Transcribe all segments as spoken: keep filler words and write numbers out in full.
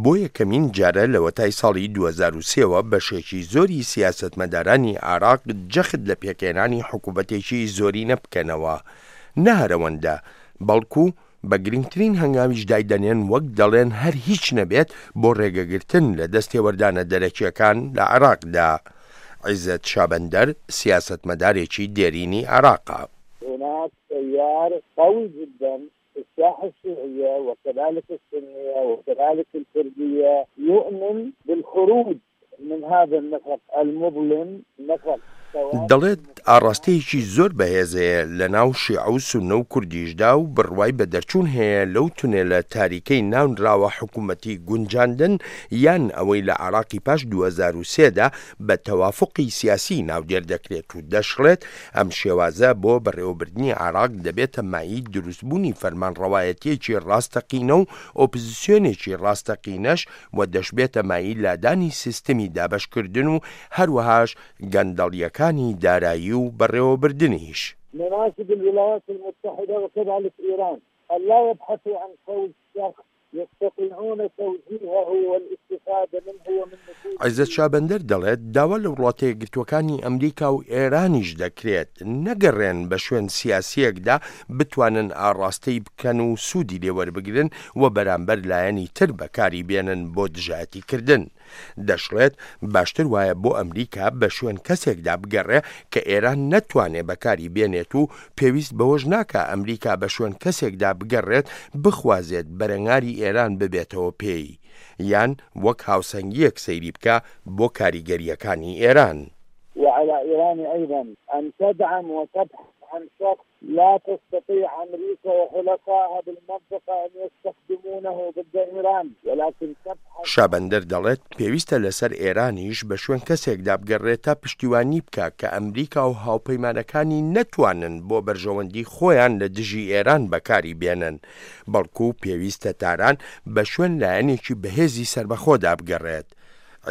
بۆ یەکەمین جارە لەوەتای ساڵی دوو هەزار و سێ وە بەشێکی زۆری سیاسەتمەدارانی عێراق جەخت لە پێکهێنانی حکوومەتێکی زۆرینە بکەنەوە، نە هەر ئەوەندە، بەڵکو بە گرنگترین هەنگاویش دایدەنێن وەک دەڵێن هەر هیچ نەبێت بۆ ڕێگەگرتن لە دەستێوەردانە دەرەکییەکان لە عێراقدا. عیزەت شابەندەر سیاسەتمەدارێکی دێرینی عێراقە. هناك تيار قوي جدا في الساحة الشيعية وكذلك السنية وكذلك الكردية يؤمن بالخروج من هذا النفق المظلم نفق دەڵێت ئاڕاستەیەکی زۆر بەهێز هەیە لە ناو شیعە و سوننە و کوردیشدا و بڕوای بە دەرچوون هەیە لەو تونێلە تاریکەی ناونراوە حکوومەتی گونجاندن یان ئەوەی لە عێراقی پاش دوو هەزار و سێ دا بە تەوافوقی سیاسی ناودێر دەکرێت و دەشڵێت ئەم شێوازە بۆ بەڕێوەبردنی عێراق دەبێتە مایەی دروستبوونی فەرمانڕەوایەتییەکی ڕاستەقینە و ئۆپزسیۆنێکی ڕاستەقینەش و دەشبێتە مایەی لادانی سیستمی دابەشکردن و هەروەهاش گەندەڵییەکانی دارایی و بەڕێوەبردنیش. نناشد الولايات المتحدة وكذلك إيران أن لا يبحثوا عن فوز شخص يستطيعون توجيهه والاستفادة منه ومن نفوذه. عیزەت شابەندەر دەڵێت داوا لە وڵاتە یەکگرتووەکانی ئەمریکا و ئێرانیش دەکرێت نەگەڕێن بە شوێن سیاسیەکدا بتوانن ئاڕاستەی بکەن و سوودی لێوەربگرن و بەرامبەر لایەنی تر بەکاری بێنن بۆ دژایەتیکردن. دەشڵێت باشتر وایە بۆ ئەمریکا بە شوێن کەسێکدا بگەڕێ کە ئێران نەتوانێ بەکاری بێنێت و پێویست بەوەش ناکا ئەمریکا بە شوێن کەسێکدا بگەڕێت بخوازێت بەرەنگاری ئێران ببێتەوە پێی یان وەک هاوسەنگیەک سەیری بکە بۆ کاریگەریەکانی ئێران. وعلى إيران أيضا أن تدعم وتبحث عن شخص لا تستطيع أمريكا وحلفائها بالمنطقة أن يستخدمونه ضد إيران، ولكن تبحث. شابەندەر دەڵێت پێویستە لەسەر ئێرانیش بە شوێن کەسێکدا بگەڕێت تا پشتیوانی بکە کە ئەمریکا و هاوپەیمانەکانی نەتوانن بۆ بەرژەوەندی خۆیان لە دژی ئێران بەکاری بێنن، بەڵکو پێویستە تاران بە شوێن لایەنێکی بەهێزی سەربەخۆدا بگەڕێت.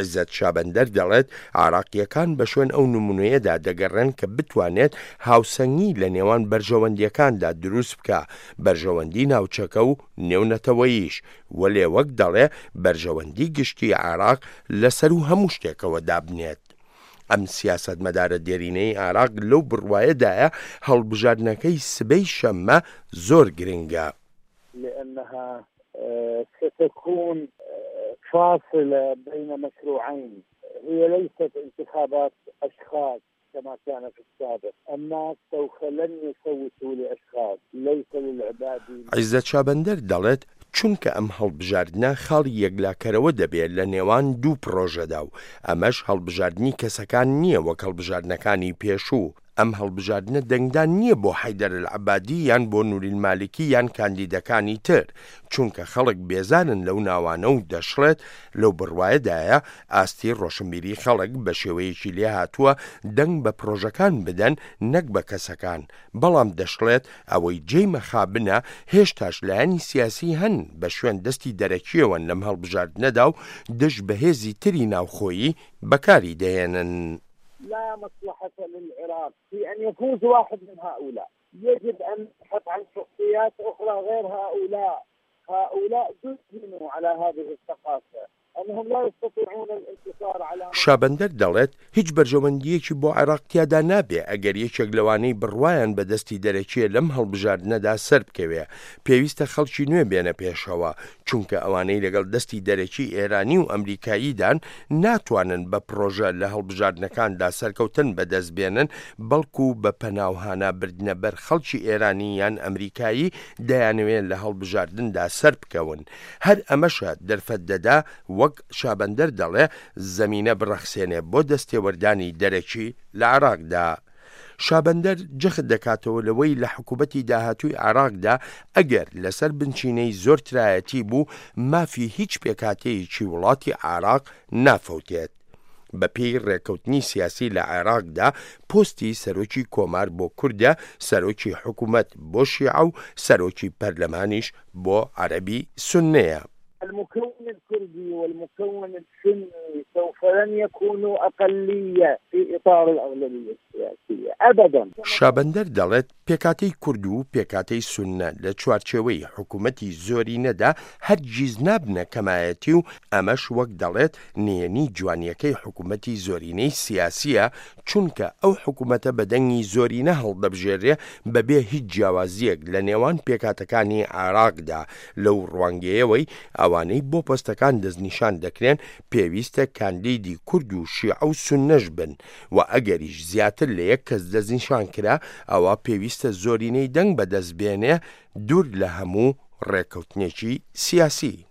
عیزەت شابەندەر دەڵێت عراقیەکان بە شوێن ئەو نمونەیەدا دەگەڕێن کە بتوانێت هاوسەنگی لە نێوان بەرژەوەندیەکاندا دروست بکە، بەرژەوەندی ناوچەکە و نێونەتەوەیش، وەلێ وەک دەڵێ بەرژەوەندی گشتی عراق لەسەر و هەموو شتێکەوە دابنێت. ئەم سیاسەتمەدارە دێرینەی عراق لەو بڕوایەدایە هەڵبژاردنەکەی سبەی شەممە زۆر گرنگە. لأنها ستكون فاصلة بين مشروعين، هي ليست انتخابات أشخاص كما كان في السابق، الناس سوف لن يصوتوا لأشخاص، ليس للعبادي. عیزەت شابەندەر دەڵێت چونکە ئەم هەڵبژاردنە خاڵی یەکلاکەرەوە دەبێت لە نێوان دوو پرۆژەدا و ئەمەش هەڵبژاردنی کەسەکان نییە وەک هەڵبژاردنەکانی پێشوو. ئەم هەڵبژاردنە دەنگدان نییە بۆ حەیدەر العەبادی یان بۆ نوری المالکی یان کاندیدەکانی تر، چونکە خەڵک بێزانن لەو ناوانە و دەشڵێت لەو بڕوایەدایە ئاستی ڕۆشنبیری خەڵک بە شێوەیەکی لێهاتووە دەنگ بە پرۆژەکان بدەن نەک بە کەسەکان. بەڵام دەشڵێت ئەوەی جێی مەخابنە هێشتاش لایەنی سیاسی هەن بە شوێن دەستی دەرەکیەوەن لەم هەڵبژاردنەدا و دژ بەهێزی تری ناوخۆیی بەکاری دەهێنن. لا مصلحة للعراق في أن يفوز واحد من هؤلاء، يجب أن نبحث عن شخصيات أخرى غير هؤلاء. هؤلاء دفنوا على هذه الثقافة أنهم لا يستطيعون الانتصار على شابەندەر دەڵێت هیچ بەرژەوەندیەکی بۆ عێراق تیادا نابێ ئەگەر یەکێک لەوانەی بڕوایان بەدەستی دەرەکیە لەم هەڵبژاردنەدا سەر بکەوێ. پێویستە خەڵکی نوێ بێنە پێشەوە، چونکە ئەوانەی لەگەڵ دەستی دەرەکی ئێرانی و ئەمریکاییدان ناتوانن بە پرۆژە لە هەڵبژاردنەکاندا سەرکەوتن بەدەست بێنن، بەڵکو بە پەناوهانە بردنە بەر خەڵکی ئێرانی یان ئەمریکایی دەیانەوێت لە هەڵبژاردندا سەر بکەون. هەر ئەمەشە دەرفەت دەدا وەک شابەندەر دەڵێ زەمینە بڕەخسێنێ بۆ دەستێوەردانی دەرەکی لە عێراقدا. شابەندەر جەخت دەکاتەوە لەوەی لە حکوومەتی داهاتووی عێراقدا ئەگەر لەسەر بنچینەی زۆر ترایەتی بوو مافی هیچ پێکهاتەیەکی وڵاتی عێراق نافەوتێت. بە پێی ڕێککەوتنی سیاسی لە عێراقدا پۆستی سەرۆکی کۆمار بۆ کوردە، سەرۆکی حکوومەت بۆ شیعە و سەرۆکی پەرلەمانیش بۆ عەرەبی سوننەیە. المكون الكردي والمكون السني سوف لن يكونوا أقلية في إطار الأغلبية. السياسية أبدا. شابەندەر دەڵێت پێکهاتەی کورد و پێکهاتەی سوننە لە چوارچێوەی حکوومەتی زۆرینەدا هەرگیز نابنە کەمایەتی و ئەمەش وەک دەڵێت نهێنی جوانیەکەی حکوومەتی زۆرینەی سیاسیە، چونکە ئەو حکوومەتە بە دەنگی زۆرینە هەڵدەبژێرێ بەبێ هیچ جیاوازیەک لە نێوان پێکهاتەکانی عێراقدا. لەو ڕوانگەیەوەی ئەوانەی بۆ پۆستەکان دەستنیشان دەکرێن پێویستە کاندیدی کورد و شیعە و سوننەش بن و ئەگەریش زیاتر لە یەک کەس دەستنیشان کرا ئەوە پێویستە زۆرینەی دەنگ بەدەست بێنێ دوور لە هەموو ڕێککەوتنێکی سیاسی.